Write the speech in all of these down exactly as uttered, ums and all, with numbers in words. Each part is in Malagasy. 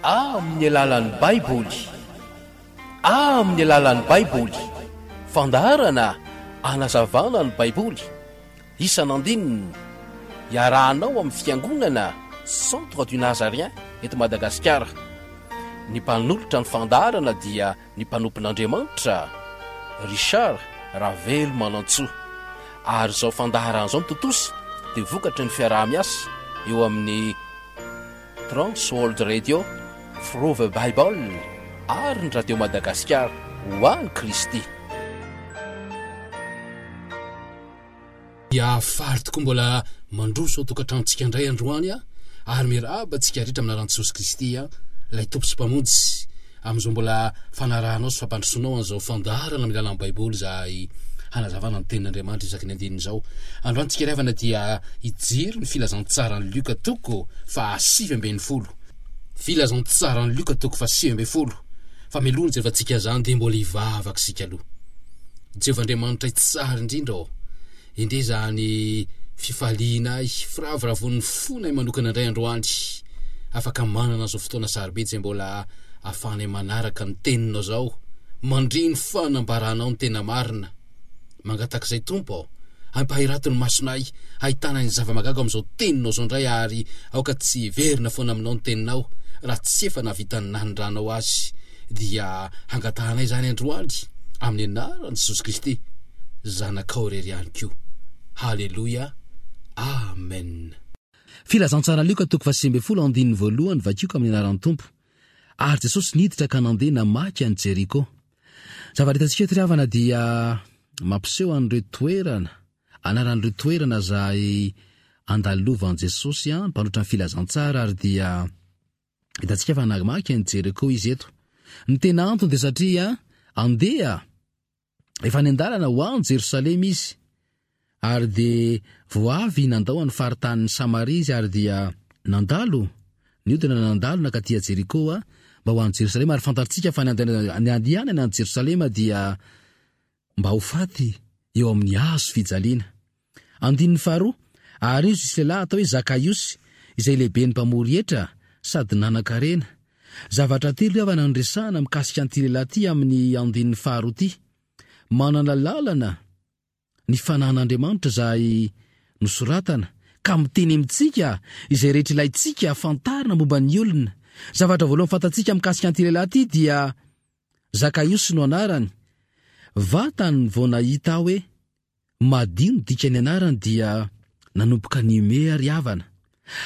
Amin'ny alalan'ny Baiboly. Amin'ny alalan'ny Baiboly. Fandaharana anazavana ny Baiboly. Isan'andininy. Iarahanao amin'ny Fiangonana Centre du Nazarien eto Madagasikara. Ny mpanolotra ny fandaharana dia ny mpanompon'Andriamanitra Richard Ravelomanantsoa. Ary izao fandaharana izao no tontosa dia vokatry ny fiaraha-miasa eo amin'ny Trans World Radio, Through the Bible ary ny Radio Madagasikara ho an'i Kristy. Dia faly tokoa mbola mandroso ao tokantranontsika indray androany aho ary miarahaba antsika rehetra amin'ny anaran'i Jesosy Kristy ilay Tompo sy Mpamonjy amin'izao mbola fanarahanao sy fampandrosoanao an'izao fandaharana amin'ny alalan'ny Baiboly izahay hanazavana ny tenin'Andriamanitra isaky ny andininy izao. Androany tsika ry havana dia hijery ny filazantsaran'i Lioka toko fahasivy ambin'ny folo. Filazantsaran'i Lioka toko fahasivy ambin'ny folo. Fa mialoha ny jerevantsika izany dia mbola hivavaka isika aloha. Jehovah Andriamanitra tsara indrindra ô. Endrey izany fifalianay, firavoravoan'ny fonay manokana indray androany. Afaka manana izao fotoana sarobidy izay mbola ahafahanay manaraka ny teninao izao, mandre ny fanambaranao ny tena marina. Mangataka izay Tompo ô, ampahirato ny masonay hahitana ny zava-mahagaga amin'izao teninao izao indray ary aoka tsy hiverina foana aminao ny teninao raha tsy efa nahavita ny nanindranao azy. Dia hangatahanay izany androany amin'ny anaran'i Jesosy Kristy Zanakao irery ihany koa. Haleloia. Amen. Filazantsara Lioka toko fahasivy ambin'ny folo andininy voalohany Vakio amin'ny anaran'ny Tompo. Ary Jesosy niditra ka nandeha namaky an'i Jeriko. Zavatra hitantsika eto ry havana dia mampiseho an'ireo toerana, anaran'ireo toerana izay andalovan'i Jesosy, mpanotra ny filazantsara ary dia hitantsika fa namaky an'i Jeriko izy eto. Ny tena antony dia satria andeha efa any an-dalana ho any Jerosalema izy ary dia vao avy nandao an'ny faritanin'i Samaria izy ary dia nandalo, niodina nandalo nankaty Jeriko mba ho any Jerosalema ary fantatsika fa ny andehanany any Jerosalema dia mba ho faty eo amin'ny hazo fijaliana. Andininy faharoa, ary izy nisy lehilahy atao hoe Zakaiosy, izay lehiben'ny mpamory hetra sady nanan-karena. Zavatra telo havana no resahana mikasika an'ity lehilahy ity amin'ny andininy faharoa ity. Manana lalana ny fanahin'Andriamanitra izay nosoratana ka miteny amintsika izay rehetra ilaintsika fantarina momba ny olona. Zavatra voalohany fantatsika mikasika an'ity lehilahy ity dia Zakaiosy no anarany. Vatany vao nahita aho hoe madio ny dikan'ny anarany dia nanomboka nihomehy ry havana.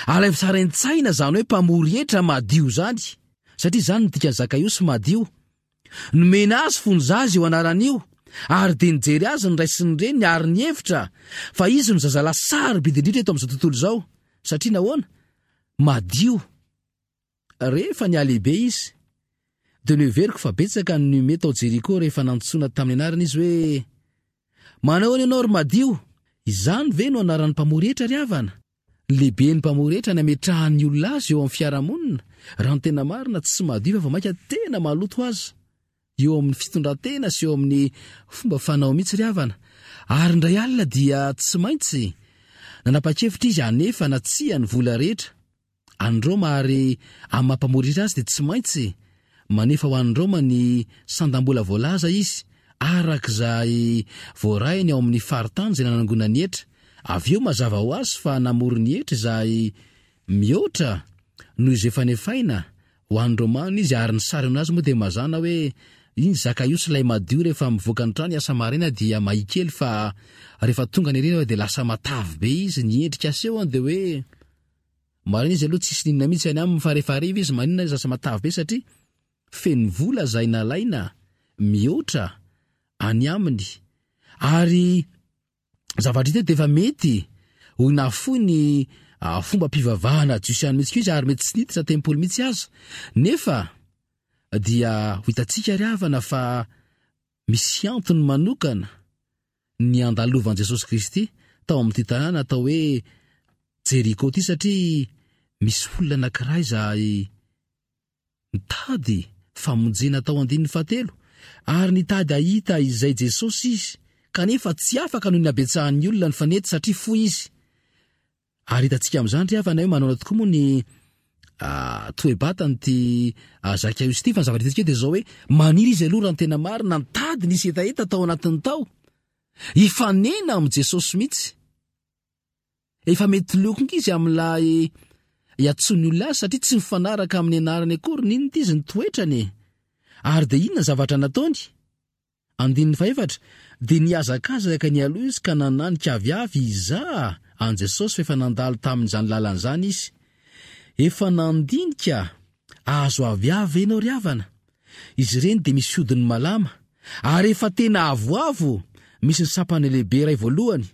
Alaivo sary an-tsaina izany hoe mpamory hetra madio izany, satria izany no dikan'i Zakaiosy madio. Nomena azy fony zaza io anarana io, ary dia nijery azy ny ray sy ny reniny ary nihevitra fa izy no zazalahy sarobidy indrindra eto amin'izao tontolo izao. Satria nahoana? Madio. Rehefa nihalehibe izy, dia noheveriko fa betsaka ny nihomehy tao Jeriko rehefa nantsoina tamin'ny anarany izy hoe, Manao ahoana ianao ry Madio? Izany ve no anaran'ny mpamory hetra ry havana? Ny lehiben'ny mpamory hetra nametrahan'ny olona azy eo amin'ny fiarahamonina, raha ny tena marina tsy madio fa vao mainka tena maloto aza eo amin'ny fitondran-tena sy eo amin'ny fomba fanao mihitsy ry havana. Ary indray alina dia tsy maintsy nanapa-kevitra izy hanefa na tsia ny vola rehetra any Roma ary amin'ny maha mpamory hetra azy dia tsy maintsy manefa ho an'i Roma ny sandam-bola voalaza izy araka izay voarainy ao amin'ny faritany izay nanangonany hetra. Avy eo mazava ho azy fa namory ny hetra izay mihoatra noho izay efa nefaina ho an'ny Romana izy ary ny sary aminazy moa dia mazàna hoe iny Zakaiosy ilay madio rehefa mivoaka ny trano hiasa maraina dia mahia kely fa rehefa tonga ny hariva dia lasa matavy be izy, ny endrika asehony dia hoe maraina izy aloha tsisy n'inona mihitsy any aminy fa rehefa hariva izy maninona izy lasa matavy be satria feno vola izay nalaina mihoatra any aminy ary zavatra hita dia efa mety ho nafoy ny fombam-pivavahana jiosy ihany mihitsy koa izy ary mety tsy niditra tempoly mihitsy aza nefa dia ho hitantsika ry havana fa misy antony manokana ny andalovan'i Jesosy Kristy tao amin'ity tanàna atao hoe Jeriko ity satria misy olona anankiray izay nitady famonjena tao andininy fahatelo ary nitady hahita izay Jesosy izy kanefa tsy afaka noho ny habetsahan'ny olona nifanety satria fohy izy. Ary hitantsika amin'izany ry havana hoe manaona tokoa moa ny toe-batany ity Zakaiosy ity, fa ny zavatra hitantsika dia izao hoe maniry izy aloha raha ny tena marina, nitady nisy hetaheta tao anatiny tao, hifanena amin'i Jesosy mihitsy. Efa mety leo koa izy amin'ilay iantsoan'ny olona azy satria tsy mifanaraka amin'ny anarany akory n'inona ity izy ny toetrany e. Ary dia inona ny zavatra nataony? Andininy fahefatra, dia nihazakazaka nialoha izy ka nananika aviavy hizaha an'i Jesosy fa efa nandalo tamin'izany lalana izany izy. Efa nandinika azo aviavy ve ianao ry havana? Izy ireny dia misy hodiny malama, ary efa tena avoavo, misy ny sampany lehibe iray voalohany.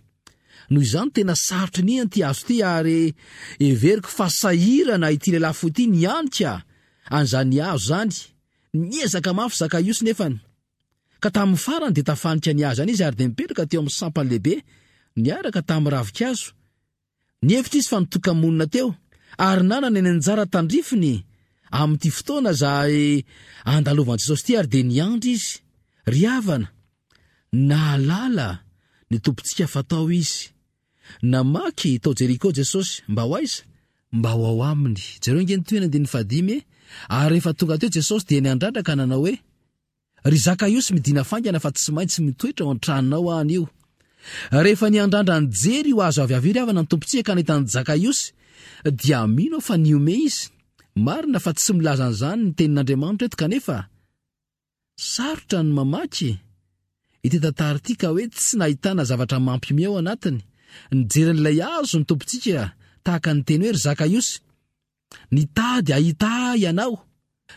Noho izany tena sarotra iniana ity hazo ity ary heveriko fa sahirana ity lehilahy fohy ity nianika an'izany hazo izany. Niezaka mafy Zakaiosy nefany. Ka tamin'ny farany dia tafanika ny hazo ihany izy ary dia nipetraka teo amin'ny sampany lehibe niaraka tamin'ny ravinkazo. Nihevitra izy fa nitoka-monina teo ary nanana ny anjara tandrifiny amin'ity fotoana izay andalovan'i Jesosy ity ary dia niandry izy. Ry havana, nahalala ny Tompontsika fa tao izy. Namaky tao Jeriko Jesosy, mba ho aiza? Mba ho ao aminy. Jereo ange ny tohiny andininy fahadimy e. Ary rehefa tonga teo Jesosy dia niandrandra ka nanao hoe, Ry Zakaiosy, midina faingana fa tsy maintsy mitoetra ao an-tranonao aho anio. Rehefa niandrandra nijery io hazo avy avy io ry havana ny Tompontsika ka nahita an'i Zakaiosy, dia mino aho fa nihomehy izy. Marina fa tsy milaza an'izany ny tenin'Andriamanitra eto kanefa sarotra ny mamaky ity tantara ity ka hoe tsy nahitana zavatra mampihomehy ao anatiny. Nijery an'ilay hazo ny Tompontsika tahaka ny teny hoe, Ry Zakaiosy, nitady hahita ahy ianao.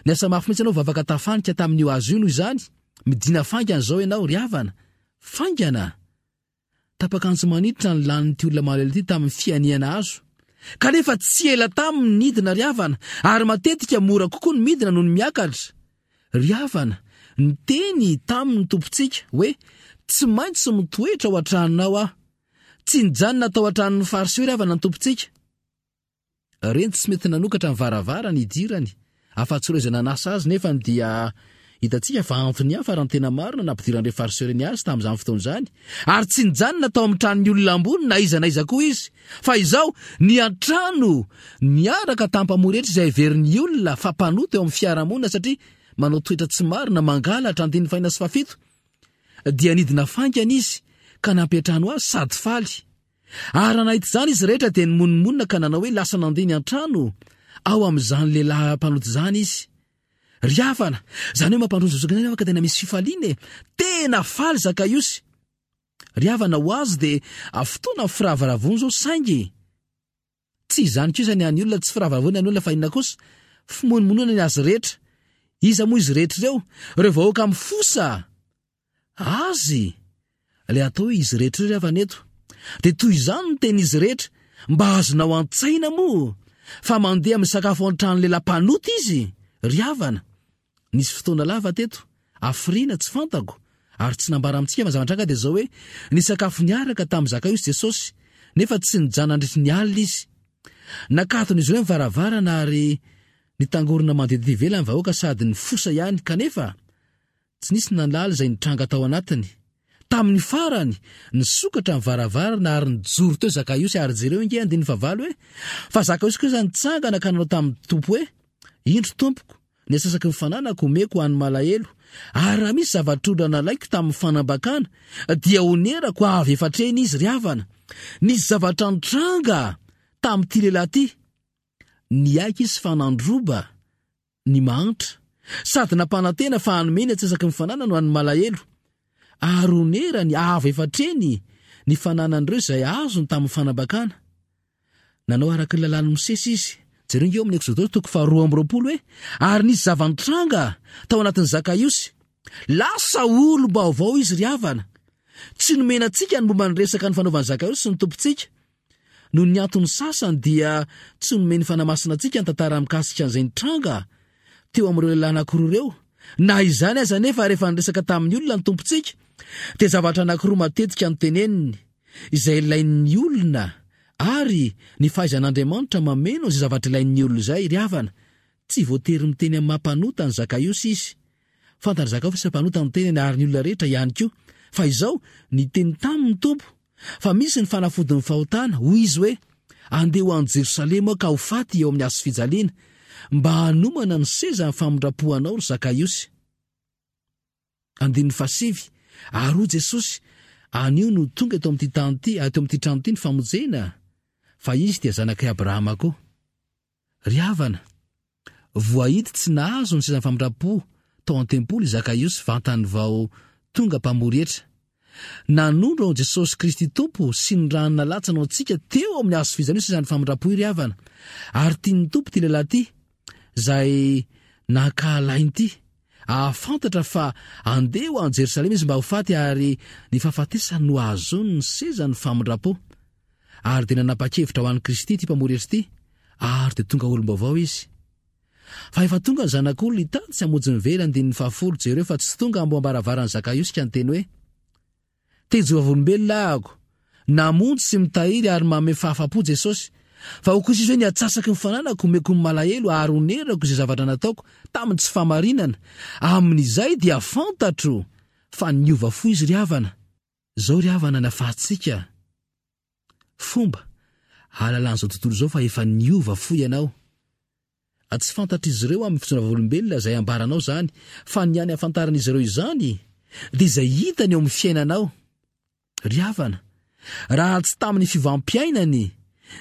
Niasa mafy mihitsy ianao vavaka tafanika tamin'io hazo io noho izany, midina faingana izao ianao ry havana. Faingana! Tapak'antsy maniditra ny lanin'ity olona malahelo ity tamin'ny fianihana hazo. Kanefa tsy ela taminy ny nidina ry havana, ary matetika mora kokoa ny midina noho ny miakatra. Ry havana, niteny taminy ny Tompontsika hoe, Tsy maintsy mitoetra ao an-tranonao aho. Tsy nijanona tao an-tranon'ny Fariseo ry havana ny Tompontsika. Reny tsy mety nanokatra ny varavarana hidirany, afa-tsy ireo izay nanasa azy, nefa dia hitantsika fa antony hafa raha ny tena marina nampidiran'ireo Fariseo ireny azy tamin'izany fotoana izany, ary tsy nijanona tao amin'ny tranon'ny olona ambony na iza na iza koa izy, fa izao niantrano niaraka tamin'ny mpamory hetra izay heverin'ny olona fa mpanota eo amin'ny fiarahamonina satria manao toetra tsy marina, mangalatra, andininy fahina sy fahafito, dia nidina faingana izy ka nampiantrano azy sady faly. Ary raha nahita izany izy rehetra dia nimonomonona ka nanao hoe, Lasa nandeha niantrano ao amin'izany lehilahy mpanota izany izy. Ry havana, izany hoe mampandroso zoky izany ka tena misy fifaliana e! Tena faly Zakaiosy. Ry havana, ho azy dia fotoana firavoravoana izao, saingy tsy izany kosa ny an'ny olona, tsy firavoravoana ny an'ny olona fa inona kosa? Fimonomonona ny azy rehetra. Iza moa izy rehetra ireo? Ireo vahoaka mifosa azy, ilay atao hoe izy rehetra ireo ry havana eto. Dia toy izany ny tenin'izy rehetra, mba azonao an-tsaina moa fa mandeha misakafo ao an-tranon'ny lehilahy mpanota izy, ry havana. Nisy fotoana lava teto, hafiriana tsy fantako, ary tsy nambara amintsika fa zava-nitranga dia izao hoe, nisakafo niaraka tamin'i Zakaiosy Jesosy, nefa tsy nijanona nandritry ny alina izy. Nakaton'izy ireo ny varavarana ary nitangorona mandeha tety ivelany ny vahoaka sady nifosa ihany, kanefa tsy nisy nahalala izay nitranga tao anatiny. Tamin'ny farany, nisokatra ny varavarana ary nijoro teo Zakaiosy, ary jereo ange andininy fahavalo hoe, Fa Zakaiosy kosa nitsangana ka nanao tamin'ny Tompo hoe, Indro Tompoko, ny antsasaky ny fananako omeko ho an'ny malahelo, ary raha misy zava-trondra nalaiko tamin'ny fanambakana, dia honerako avy efatr'heny izy. Ry havana, nisy zavatra nitranga tamin'ity lehilahy ity. Niaiky izy fa nandroba ny mahantra, sady nampanantena fa hanome ny antsasaky ny fananany ho an'ny malahelo, ary honerany avo efatr'heny ny fananan'ireo izay azony tamin'ny fanambakana. Nanao araka ny lalàn'i Mosesy izy. Jereo ange eo amin'ny Eksodosy toko faharoa amby roapolo hoe, Ary nisy zava-nitranga tao anatin'i Zakaiosy. Lasa olom-baovao izy ry havana. Tsy nomena antsika ny momba ny resaka nifanaovan'i Zakaiosy sy ny Tompontsika. Noho ny antony sasany dia tsy nomen'ny Fanahy Masina antsika ny tantara mikasika an'izay nitranga teo amin'ireo lehilahy anankiroa ireo. Na izany aza anefa, rehefa niresaka tamin'ny olona ny Tompontsika, dia zavatra anankiroa matetika no teneniny, izay ilain'ny olona ary ny fahaizan'Andriamanitra mameno izay zavatra ilain'ny olona izay. Ry havana, tsy voatery miteny amin'ny maha mpanota an'i Zakaiosy izy. Fantatr'i Zakaiosy fa mpanota ny tenany ary ny olona rehetra ihany koa. Fa izao, niteny taminy ny Tompo, Fa misy ny fanafodin'ny fahotana, hoy izy hoe, Andeha ho any Jerosalema aho ka ho faty eo amin'ny hazo fijaliana. mba hanomana ny seza ny famindram-po anao ry Zakaiosy. Andininy fahasivy, Ary hoy Jesosy, Anio no tonga eto amin'ity tany ity, eto amin'ity trano ity ny famonjena, fa izy dia zanak'i Abrahama koa. Ry havana, voahidy tsy nahazo ny sezan'ny famindram-po tao an-tempoly i Zakaiosy vantany vao tonga mpamory hetra. Nanondro an'i Jesosy Kristy Tompo sy ny rany nalatsany ho antsika teo amin'ny hazo fijaliana io sezan'ny famindram-po io ry havana. Ary tian'ny Tompo ity lehilahy ity, izay nankahalainy ity, hahafantatra fa handeha ho any Jerosalema izy mba ho faty ary ny fahafatesany no hahazoany ny sezan'ny famindram-po. Ary dia nanapa-kevitra ho an'i Kristy ity mpamory hetra ity, ary dia tonga olom-baovao izy. Fa efa tonga ny Zanak'olona hitady sy hamonjy ny very, andininy fahafolo, jereo fa tsy tonga amboambaravaran'i Zakaiosy ka niteny hoe, Te-hijoro vavolombelona ahako, namonjy sy mitahiry ary manome fahafapo Jesosy. Fa hoy kosa izy hoe, Ny atsasaky ny fananako omeko ny malahelo ary onerako izay zavatra nataoko tamin'ny tsy fahamarinana. Amin'izay dia fantatro fa niova fo izy ry havana. Izao ry havana ny afahantsika fomba ahalalan'izao tontolo izao fa efa niova fo ianao. Tsy fantatr'izy ireo amin'ny fijoroana vavolombelona izay ambaranao izany, fa ny hany ahafantaran'izy ireo izany dia izay hitany eo amin'ny fiainanao. Ry havana, raha tsy tamin'ny fiovam-piainany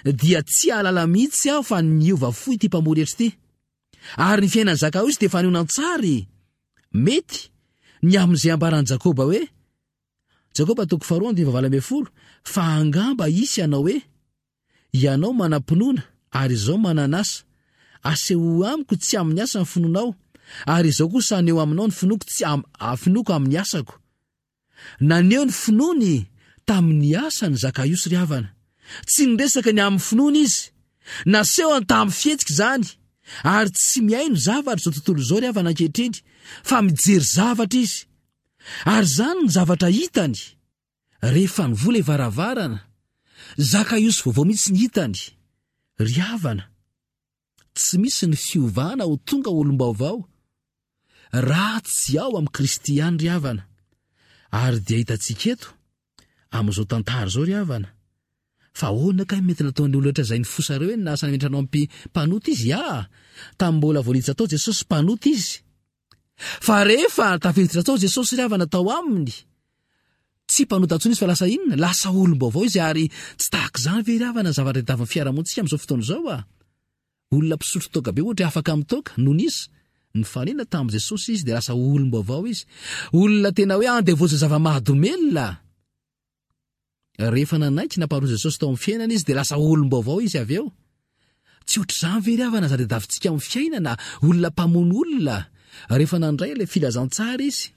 dia tsy hahalala mihitsy aho fa niova fo ity mpamory hetra ity. Ary ny fiainan'i Zakaosy dia fanehoana an-tsary mety ny amin'izay ambaran'i Jakoba hoe, Jakoba toko faharoa andininy fahavalo ambin'ny folo, fa angamba hisy hanao hoe, Ianao manam-pinoana, ary izaho manana asa. Asehoy amiko tsy amin'ny asa ny finoanao, ary izaho kosa haneho aminao ny finoako tsy am, finoako amin'ny asako. Naneho ny finoany tamin'ny asany Zakaiosy ry havana. Tsy niresaka ny amin'ny finoany izy. Nasehony tamin'ny fihetsika izany. Ary tsy mihaino zavatra izao tontolo izao ry havana ankehitriny, fa mijery zavatra izy. Ary izany ny zavatra hitany. Rehefa nivoha ilay varavarana, Zakaiosy vaovao mihitsy ny hitany. Ry havana, tsy misy ny fiovana ho tonga olom-baovao raha tsy ao amin'i Kristy ihany ry havana. Ary dia hitantsika eto, amin'izao tantara izao ry havana, fa ahoana kay mety nataon'ny olona rehetra izay nifosa ireo hoe nasa nametra anao ampi mpanota izy? Ya, tamin'ny mbola vao niditra tao Jesosy mpanota izy. Fa rehefa tafiditra tao Jesosy ry havana tao aminy, tsy mpanota intsony izy fa lasa inona? Lasa olom-baovao izy ary tsy tahaka izany ve ry havana ny zavatra tadiavin'ny fiarahamonintsika amin'izao fotoana izao a? Olona mpisotro toaka be ohatra afaka mitoaka, nony izy nifanena tamin'i Jesosy izy dia lasa olom-baovao izy. Olona tena hoe andevozin'ny zava-mahadomelina. Rehefa nanaiky namparoa Jesosy tao amin'ny fiainana izy dia lasa olom-baovao izy avy eo. Tsy ohatr'izany ve ry havana aza tadiavintsika amin'ny fiainana, olona mpamono olona, rehefa nandray ilay filazantsara izy,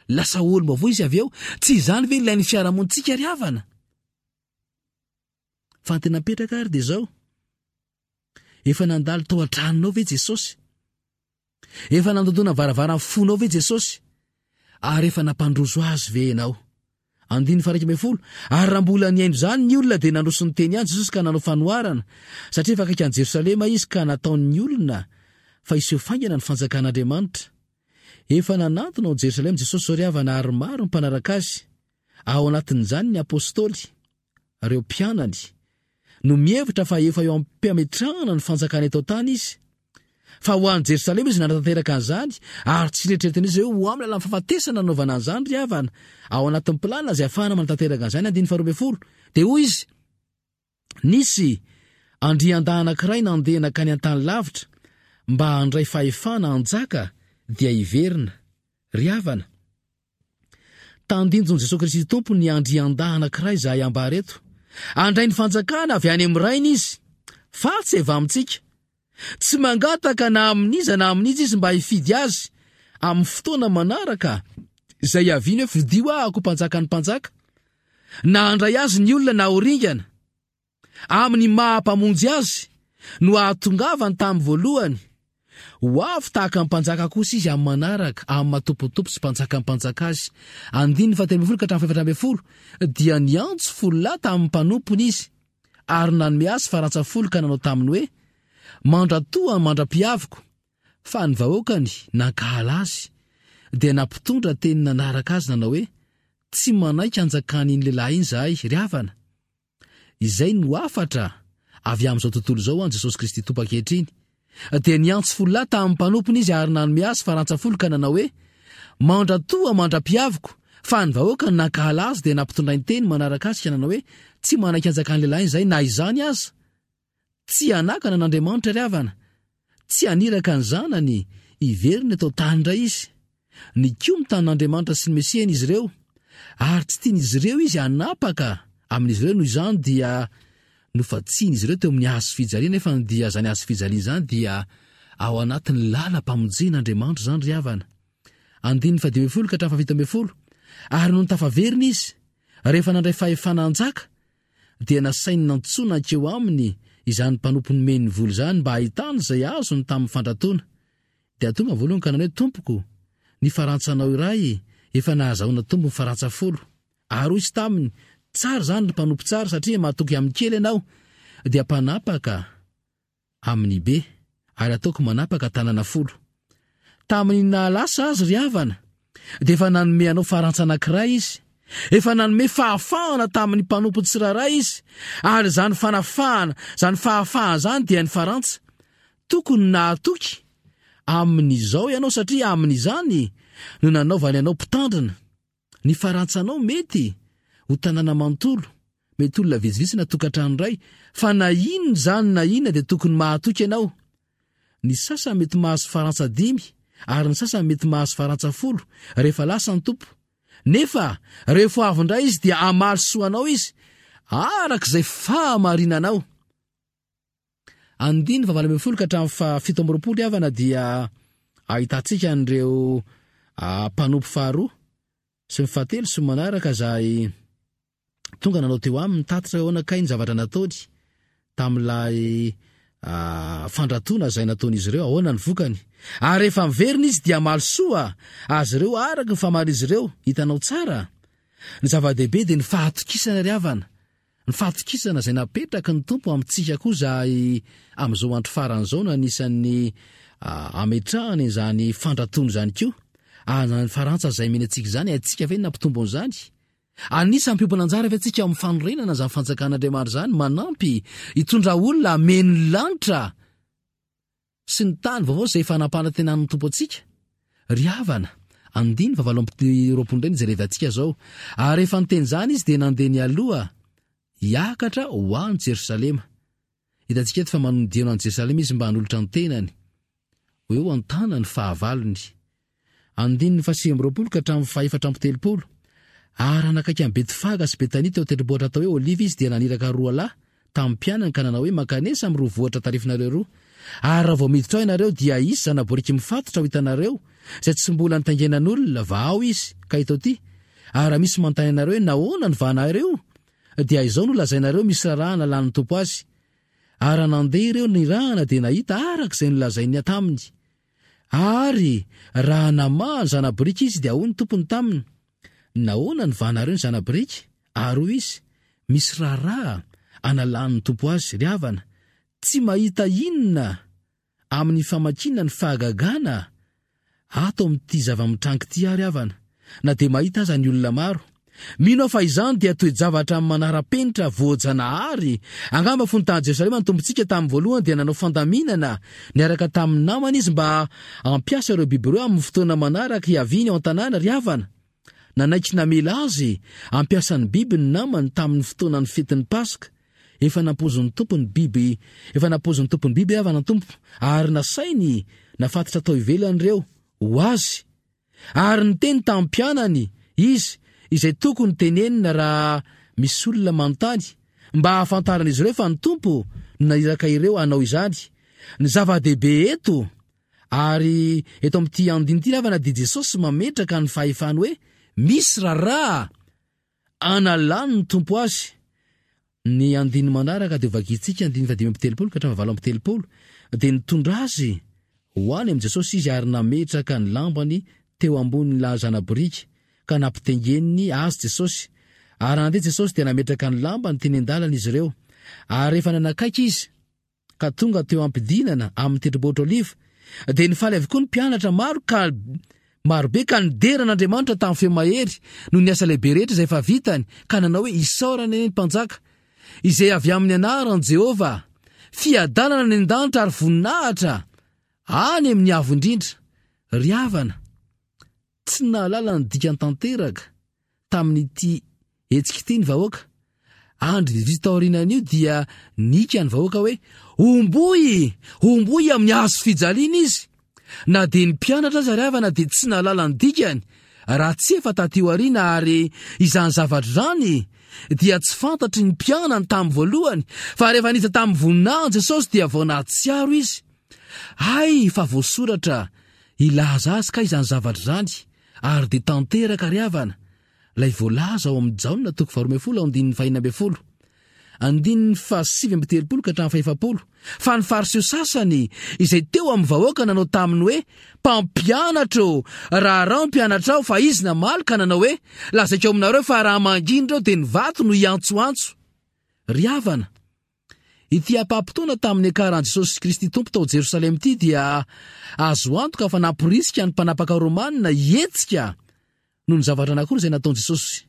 lasa olom-baovao izy avy eo. Tsy izany ve ilain'ny fiarahamonintsika ry havana? Fa ny tena mipetraka ary dia izao, efa nandalo tao an-tranonao ve Jesosy? Efa nandondona varavaran'ny fonao ve Jesosy? Ary efa nampandroso Azy ve ianao? Andininy faha-iraika ambin'ny folo, Ary raha mbola nihaino izany ny olona dia nandroso ny teny ihany Jesosy ka nanao fanoharana, satria efa akaiky an'i Jerosalema Izy ka nataon'ny olona fa hiseho faingana ny fanjakan'Andriamanitra. Efa nanantona ao Jerosalema Jesosy izao ry havana ary maro ny mpanaraka Azy, ao anatin'izany ny Apostoly. Ireo mpianany, no mihevitra fa efa eo am-piametrahana ny fanjakana eto an-tany izy. Fa ho any Jerosalema izy nanatanteraka an'izany, ary tsy neritreretin'izy hoe ho amin'ny lalan'ny fahafatesana nanaovana an'izany ry havana. Ao anatin'ny planina izay ahafahana manatanteraka an'izany, andininy faharoa ambin'ny folo, dia hoy izy, Nisy andriandahy anankiray nandeha nankany an-tany lavitra mba handray fahefana hanjaka dia hiverina. Ry havana, Tandindon'i Jesoa Kristy Tompo ny andriandahy anankiray izahay ambara eto. Handray ny fanjakana avy any amin'ny Rainy Izy, fa tsy avy amintsika. Tsy mangataka na amin'iza na amin'iza Izy mba hifidy Azy amin'ny fotoana manaraka izay hiaviany hoe fidio aho ho mpanjakan'ny mpanjaka. Na handray Azy ny olona na ho ringana. Amin'ny maha Mpamonjy azy no ahatongavany tamin'ny voalohany. Ho avy tahaka ny mpanjaka kosa izy amin'ny manaraka, amin'ny maha Tompon'ny tompo sy Mpanjakan'ny mpanjaka azy. Andininy fahatelo ambin'ny folo ka hatramin'ny fahefatra ambin'ny folo, Dia niantso folo lahy tamin'ny mpanompony izy, ary nanome azy farantsa folo ka nanao taminy hoe, Mandratoa mandra-piaviko. Fa ny vahoakany nankahala azy, dia nampitondra teny nanaraka azy nanao hoe, Tsy manaiky hanjakan'iny lehilahy iny izahay, ry havana. Izay no hafatra avy amin'izao tontolo izao an'i Jesosy Kristy Tompo ankehitriny. Dia niantso folo lahy tamin'ny mpanompony izy ary nanome azy farantsa folo ka nanao hoe, Mandratoa mandra-piaviko, fa ny vahoaka nankahala azy dia nampitondrainy teny manaraka azy ka nanao hoe, Tsy manaiky hanjakan'ny lehilahy izay na izany aza. Tsy hanakana an'Andriamanitra ry havana. Tsy haniraka ny zanany hiverina eto an-tany indray izy. Nikomy tamin'Andriamanitra sy ny Mesiany izy ireo, ary tsy tian'izy ireo izy hanapaka amin'izy ireo, noho izany dia nofatsian'izy ireo teo amin'ny hazo fijaliana, nefa ny dia izany hazo fijaliana izany dia ao anatin'ny lalam-pamonjen'Andriamanitra izany ry havana. Andininy fahadimy ambin'ny folo ka hatramin'ny fahafito ambin'ny folo. Ary nony tafaverina izy, rehefa nandray fahefana hanjaka, dia nasainy nantsoina hankeo aminy izany mpanompo nomeny ny vola izany mba hahitany izay azony tamin'ny fandratoana. Dia tonga voalohany ka nanao hoe, Tompoko, ny farantsanao iray efa nahazahoana tombony farantsa folo. Ary hoy izy taminy, Tsara izany, ry mpanompo tsara, satria mahatoky amin'ny kely ianao, dia mpanapaka amin'ny be, ary ataoko manapaka tanana folo. Tamin'ny nahalasa azy, ry havana, dia efa nanome anao farantsa anankiray izy. Efa nanome fahafahana tamin'ny mpanompo tsirairay izy, ary izany fanafahana, izany fahafahana izany dia ny farantsa. Tokony nahatoky amin'izao ianao satria amin'izany no nanaovany anao mpitandrina. Ny farantsanao mety ho tanàna manontolo, mety olona vitsivitsy na tokantrano iray, fa na inona izany na inona dia tokony mahatoky ianao. Ny sasany mety mahazo farantsa dimy ary ny sasany mety mahazo farantsa folo rehefa lasa ny Tompo. Nefa rehefa ho avy indray izy dia hamaly soa anao izy araka izay fahamarinanao. Andininy fahavalo ambin'ny folo ka hatramin'ny fahafito amby roapolo havana dia ahitantsika an'ireo mpanompo faharoa sy ny fahatelo sy ny manaraka izay tonga nanao teo aminy nitatitra hoe ahoana kay ny zavatra nataony tamin'ilay fandratoana izay nataon'izy ireo, ahoana ny vokany. Ary rehefa miverina izy dia hamaly soa azy ireo araka ny famalin'izy ireo. Hitanao tsara? Ny zava-dehibe dia ny fahatokisana ry havana. Ny fahatokisana izay napetraky ny Tompo amintsika koa izahay amin'izao andro farany izao no anisan'ny ametrahana izany fandratoana izany koa. Ary izany farantsa izay omena antsika izany, haintsika ve ny nampitombo an'izany? Anisan'ny mpiombona anjara ve antsika ao amin'ny fanorenana izany fanjakan'Andriamanitra izany, manampy hitondra olona hameno ny lanitra sy ny tany vaovao izay efa nampanantenan'ny Tompo antsika? Ry havana, andininy fahavalo amby roapolo indray no jerevantsika izao. Ary rehefa niteny izany izy dia nandeha nialoha hiakatra ho any Jerosalema. Hitantsika eto fa manodiana an'i Jerosalema izy mba hanolotra ny tenany ho eo an-tanan'ny fahavalony. Andininy fahasivy amby roapolo ka hatramin'ny fahefatra amby telopolo. Ary raha nakaiky an'i Betfaga sy Betania teo an-tendrombohitra atao hoe Oliva izy, dia naniraka roa lahy tamin'ny mpianany ka nanao hoe, Mankanesa amin'ireo vohitra tarifinareo roa. Ary raha vao miditra ao ianareo, dia hisy zana-boriky mifatotra ho hitanareo, izay tsy mbola nitaingenan'olona, vahao izy, ka eto aty. Ary raha misy manontany anareo hoe, Nahoana no vahanareo? Dia izao no lazainareo, Misy raharaha nalan'ny Tompo azy. Ary raha nandeha ireo nirahana, dia nahita araka izay nolazainy taminy. Ary raha namaha ny zana-boriky izy, dia hoy ny tompony taminy, Nahoana no vahanareo ny zana-boriky? Ary hoy izy, Misy raharaha analan'ny Tompo azy, ry havana, tsy mahita inona amin'ny famakiana ny fahagagana ato amin'ity zava-mitranga ity aho, ry havana, na dia mahita aza ny olona maro. Mino aho fa izany dia toe-javatra manara-penitra voajanahary. Angamba fony tany Jerosalema ny Tompontsika tamin'ny voalohany dia nanao fandaminana niaraka tamin'ny namany izy mba hampiasa ireo biby ireo amin'ny fotoana manaraka hiaviany ao an-tanàna. Ry havana, nanaiky namela azy hampiasa ny biby ny namany tamin'ny fotoanan'ny fetin'ny Paska. Efa nampoizin'ny Tompo ny biby, efa nampoizin'ny Tompo ny biby havana ny Tompo ary nasainy nafatotra tao ivelany ireo ho azy. Ary niteny tamin'ny mpianany Izy izay tokony tenenina raha misy olona manontany, mba hahafantaran'izy ireo fa ny Tompo no naniraka ireo hanao izany. Ny zava-dehibe eto, ary eto amin'ity andininy ity ravana dia Jesosy mametraka ny fahefany hoe misy raharaha analan'ny Tompo azy. Ny andininy manaraka dia hovakintsika, andininy fahadimy amby telopolo ka hatramin'ny fahavalo amby telopolo, dia nitondra azy ho any amin'i Jesosy izy ary nametraka ny lambany teo ambonin'ny zana-boriky ka nampitengeniny azy Jesosy. Ary raha nandeha Jesosy dia nametraka ny lambany teny an-dalana izy ireo. Ary rehefa nanakaiky izy, ka tonga teo am-pidinana amin'ny tendrombohitra Oliva, dia nifaly avokoa ny mpianatra maro ka marobe ka nidera an'Andriamanitra tamin'ny feo mahery noho ny asa lehibe rehetra izay efa vitany, ka nanao hoe, Isaorana anie ny Mpanjaka, izay avy amin'ny anaran'i Jehovah! Fiadanana any an-danitra ary voninahitra any amin'ny avo indrindra. Ry havana, tsy nahalala ny dikany tanteraka tamin'ity hetsika ity ny vahoaka. Andro vitsivitsy taorianan'io dia nika ny vahoaka hoe, Homboy! Homboy amin'ny hazo fijaliana izy! Na dia ny mpianatra aza ry havana dia tsy nahalala ny dikany raha tsy efa taty aoriana, ary izany zavatra izany dia tsy fantatry ny mpianany tamin'ny voalohany, fa rehefa niditra tamin'ny voninahiny Jesosy dia vao nahatsiaro izy. Hay fa voasoratra hilaza azy kay izany zavatra izany, ary dia tanteraka ry havana ilay voalaza ao amin'ny Jaona toko faharoa ambin'ny folo andininy fahenina ambin'ny folo, andininy fahasivy amby telopolo ka hatramin'ny fahefapolo, fa ny Fariseo sasany izay teo amin'ny vahoaka nanao taminy hoe, Mpampianatra ô, raharaho ny mpianatrao, fa izy namaly ka nanao hoe, Lazaiko aminareo fa raha mangina ireo dia ny vato no hiantsoantso. Ry havana, ity ampaham-potoana tamin'ny niakaran'i Jesosy Kristy Tompo tao Jerosalema ity dia azo antoka fa namporisika ny mpanapaka romanina hihetsika noho ny zavatra anankiroa izay nataon'i Jesosy.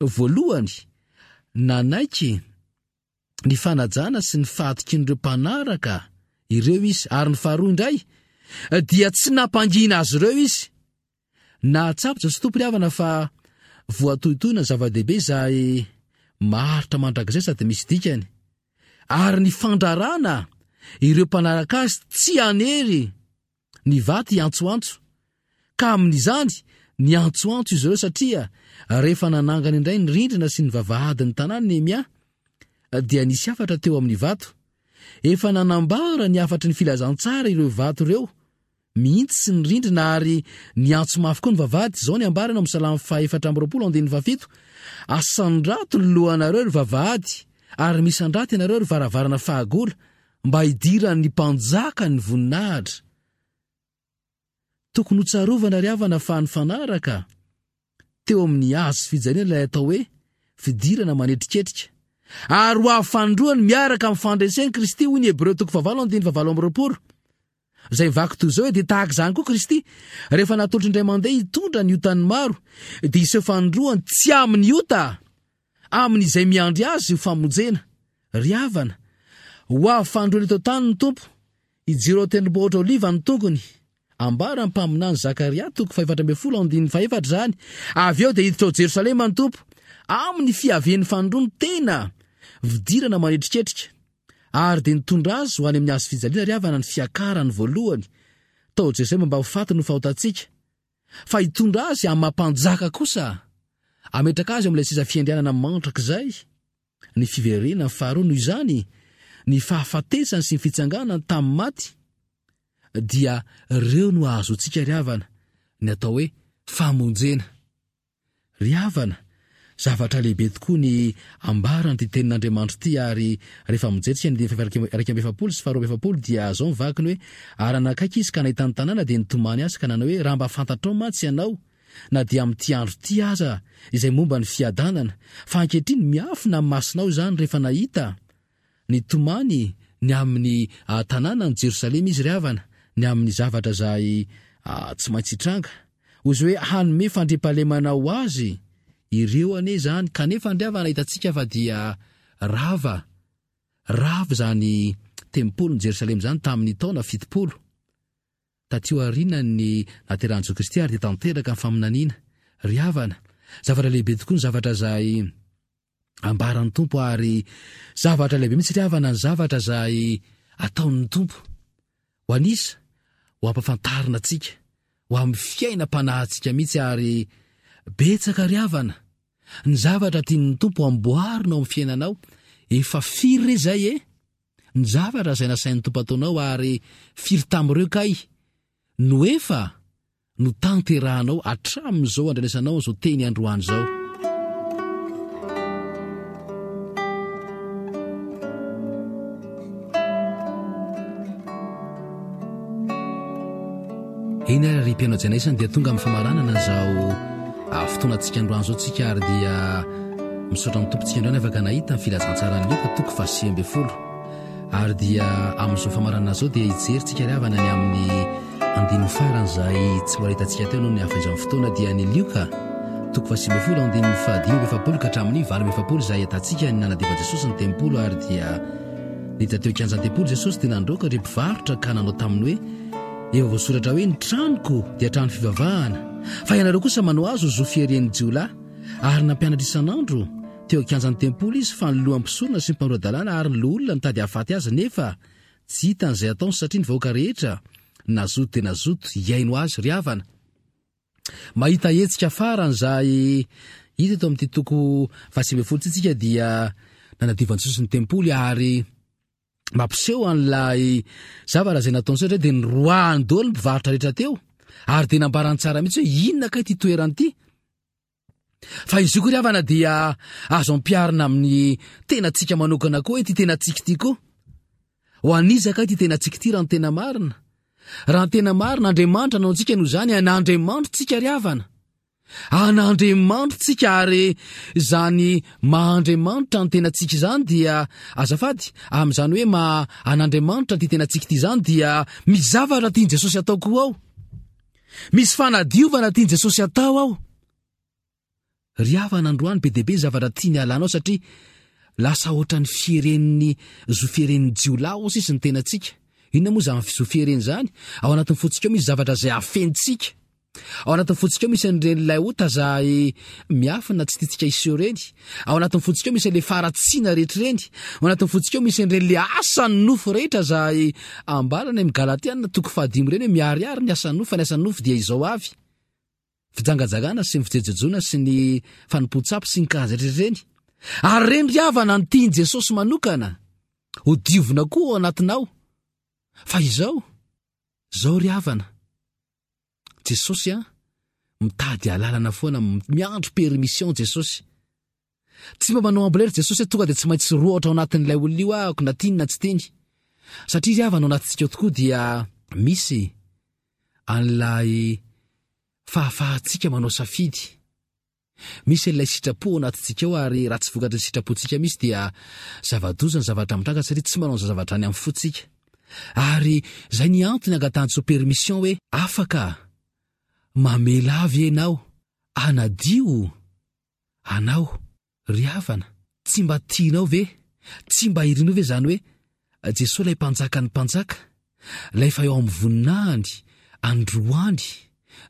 Voalohany, nanaiky ny fanajana sy ny fahatokian'ireo mpanaraka ireo izy, ary ny faharoa indray dia tsy nampangina azy ireo izy. Nahatsapa Jesosy Tompo ry havana fa voatohitohina ny zava-dehibe izay maharitra mandrakizay sady misy dikany, ary ny fandrarana ireo mpanaraka azy tsy hanery ny vato hiantsoantso, ka amin'izany niantsoantso izy ireo satria rehefa nanangana indray ny rindrina sy ny vavahadin'ny tanàna Nehemia dia nisy hafatra teo amin'ny vato. Efa nanambara ny hafatry ny filazantsara ireo vato ireo mihitsy sy ny rindrina ary niantso mafy koa ny vavahady. Izao ny ambarany ao amin'ny Salamo fahaefatra amby roapolo andininy fahafito, Asandrato ny lohanareo ry vavahady, ary misandrato ianareo ry varavarana fahagola, mba hidiran'ny mpanjaka ny voninahitra. Tokony hotsarovana ry havana fa nifanaraka teo amin'ny hazo fijaliana ilay atao hoe fidirana manetriketrika. Ary ho avy fanindroany miaraka amin'ny fandresen'i Kristy, hoy ny Hebreo toko fahavalo andininy fahavalo amby roapolo. Izay mivaky toy izao hoe, dia tahaka izany koa Kristy, rehefa natolotry indray mandeha hitondra ny otan'ny maro, dia hiseho fanindroany tsy amin'ny ota, amin'izay miandry azy ho famonjena. Ry havana, ho avy fanindroany eto an-tany ny Tompo, hijoro ao an-tendrombohitra Oliva ny tongony. Ambaran'ny mpaminany Zakaria toko fahefatra ambin'ny folo andininy fahefatra izany. Avy eo dia hiditra ao Jerosalema ny Tompo, amin'ny fiavian'ny fanindroany tena fidirana manetriketrika. Ary dia nitondra azy ho any amin'ny hazo fijaliana ry havana ny fiakarany voalohany tao Jerosalema mba ho faty noho fahotantsika. Fa hitondra azy amin'ny maha mpanjaka kosa, hametraka azy eo amin'ilay seza fiandrianana mandrakizay, ny fiverenany faharoa. Noho izany, ny fahafatesany sy ny fitsanganany tamin'ny maty dia ireo no ahazoantsika ry havana ny atao hoe famonjena. Ry havana, zavatra lehibe tokoa ny ambaran'ity tenin'Andriamanitra ity, ary rehefa mijery isika ny andininy faha-iraika amby efapolo sy faharoa amby efapolo dia izao ny vakiny hoe, Ary nanakaiky izy ka nahita ny tanàna dia nitomany azy ka nanao hoe, Raha mba fantatrao mantsy ianao, na dia amin'ity andro ity aza, izay momba ny fiadanana, fa ankehitriny miafina amin'ny masonao izany. Rehefa nahita Nitomany ny amin'ny tanànan'i Jerosalema izy ry havana, ny amin'ny zavatra izay tsy maintsy hitranga. Hoy izy hoe hanome fandriampahalemana ho azy ireo anie izany, kanefa ry havana hitantsika fa dia rava, rava izany tempolin'i Jerosalema izany tamin'ny taona fitopolo taty aorianan'ny nahaterahan'i Jesoa Kristy, ary dia tanteraka ny faminaniana. Ry havana, zavatra lehibe tokoa ny zavatra izay ambaran'ny Tompo, ary zavatra lehibe mihitsy ry havana ny zavatra izay ataon'ny Tompo ho an'isa, ho ampafantarina antsika, ho amin'ny fiainam-panahintsika mihitsy. Ary betsaka ry havana ny zavatra tian'ny Tompo amboarina ao amin'ny fiainanao. Efa firy re izay e? Ny zavatra izay nasain'ny Tompo ataonao, ary firy tamin'ireo kay no efa notanterahanao hatramin'izao andrenesanao izao teny androany izao? Eny ary ry mpianao jaina isany dia tonga amin'ny famaranana izao ah, fotoanantsika androany izao tsika, ary dia misaotra ny Tompontsika androany afaka nahita ny filazantsaran'i Lioka toko fahasivy ambin'ny folo. Ary dia amin'izao famaranana izao dia hijery tsika ry havana ny amin'ny andininy farany izay tsy mbola hitantsika teo noho ny hafaizan'ny fotoana, dia ny Lioka toko fahasivy ambin'ny folo andininy fahadimy amby efapolo ka hatramin'ny valo amby efapolo izay ahitantsika ny nanadiovan'i Jesosy ny tempoly. Ary dia niditra teo an-kianjan'ny tempoly Jesosy dia nandroaka ireo mpivarotra ka nanao taminy hoe, Efa voasoratra hoe ny tranoko dia trano fivavahana, fa ianareo kosa manao azy ho zo fieren'ny jiolahy. Ary nampianatra isan'andro teo an-kianjan'ny tempoly izy, fa ny lohan'ny mpisorona sy ny mpanora-dalàna ary ny loholona nitady hahafaty azy, nefa tsy hitany izay ataony satria ny vahoaka rehetra nazoto dia nazoto hihaino azy. Ry havana, mahita hetsika farany izay hita eto amin'ity toko fahasivy ambin'ny folo ity tsika dia nanadiovan'i Jesosy ny tempoly ary mampiseho an'ilay zavatra izay nataony satria dia niroahany daholo ny mpivarotra rehetra teo ary dia nambarany tsara mihitsy hoe inona kay ity toerana ity. Fa izy io koa ry havana dia azo ampiharina amin'ny tenantsika manokana koa hoe ity tenantsika ity koa. Ho an'iza kay ity tenantsika ity raha ny tena marina? Raha ny tena marina, Andriamanitra nanao antsika noho izany, an'Andriamanitra tsika ry havana. An'Andriamanitra tsika ary izany maha Andriamanitra ny tenantsika izany dia, azafady, amin'izany hoe maha an'Andriamanitra ity tenantsika ity izany dia misy zavatra tian'i Jesosy atao koa ao. Misy fanadiovana tian'i Jesosy atao ao. Ry havana, androany be dia be ny zavatra tiany halanao satria lasa ohatran'ny fieren'ny zo fieren'ny jiolahy hoy sisa ny tenantsika. Inona moa izany zo fierena izany? Ao anatin'ny fontsika ao misy zavatra izay afentsika. Ao anatin'ny fontsika ao misy an'ireny ilay ota izay miafina tsy tiantsika hiseho ireny. Ao anatin'ny fontsika ao misy an'ilay faharatsiana rehetra ireny. Ao anatin'ny fontsika ao misy an'ireny ilay asan'ny nofo rehetra izay ambara any amin'ny Galatiana toko fahadimy ireny hoe miharihary ny asan'ny nofo, fa ny asan'ny nofo dia izao avy. Fijangajangana sy ny fijejojejoana sy ny fanompoan-tsampy sy ny karazany rehetra ireny. Ary ireny ry havana no tian'i Jesosy manokana ho diovina koa ao anatinao. Fa izao, izao ry havana, Jesosy an, mitady alalana foana, miandry permission Jesosy. Tsy mba manao amboletra Jesosy hoe tonga dia tsy maintsy rohatra ao anatin'ilay olona io ahako na tiany na tsy tiany. Satria ry havana ao anatintsika ao tokoa dia misy an'ilay fahafahantsika manao safidy. Misy an'ilay sitrapo ao anatintsika ao ary raha tsy vokatry ny sitrapontsika misy dia zava-doza ny zavatra mitranga satria tsy manao an'izay zavatra any amin'ny fontsika. Ary izay ny antony angatahantsika permission hoe afaka mamela ahy ve ianao hanadio anao ry havana? Tsy mba tianao ve? Tsy mba irinao ve izany hoe Jesoa ilay mpanjakan'ny mpanjaka, ilay efa eo amin'ny voninahiny androany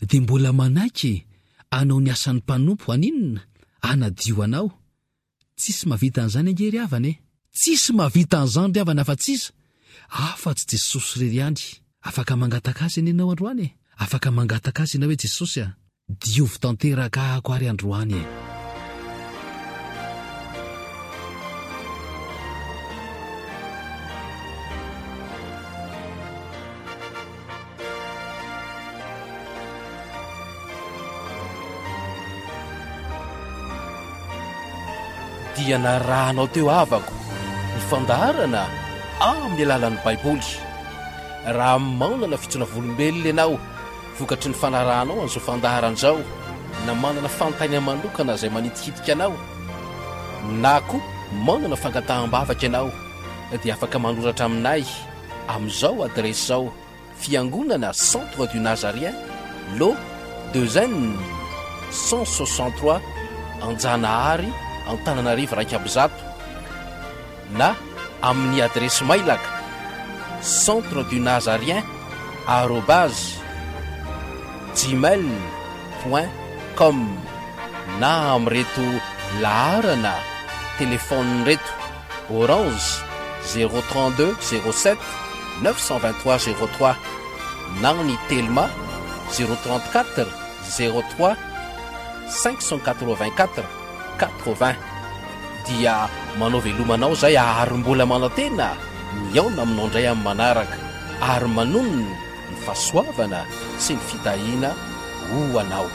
dia mbola manaiky hanao ny asan'ny mpanompo haninona? Hanadio anao. Tsisy mahavita an'izany ange ry havana e! Tsisy mahavita an'izany ry havana afa-tsy iza? Afa-tsy Jesosy irery ihany. Afaka mangataka Azy anie ianao androany e! Afaka mangataka Azy ianao hoe Jesosy a! Diovy tanteraka ahako ary androany e! Dia narahanao teo havako ny fandaharana amin'ny alalan'ny Baiboly. Raha manana fitsoana volombelona ianao vokatry ny fanarahanao an'izao fandaharana izao, na manana fanontaniana manokana izay manitikitika anao, na koa manana fangataham-bavaka ianao, dia afaka manoratra aminay amin'izao adiresy izao, Fiangonana Centre du Nazarien, Lot deux N cent soixante-trois, Anjanahary, Antananarivo iraika amby zato, na amin'ny adiresy mailaka centre du nazarien arobase gmail point com na amin'ireto laharana telefaonina ireto, Orange zéro trente deux zéro sept neuf cent vingt trois zéro trois na ny Telma zéro trente quatre zéro trois cinq cent quatre vingt quatre quatre vingt. Dia manao veloma anao izay ary mbola manantena mihaona aminao indray amin'ny manaraka ary manonona ny fahasoavana sy ny fitahiana ho anao.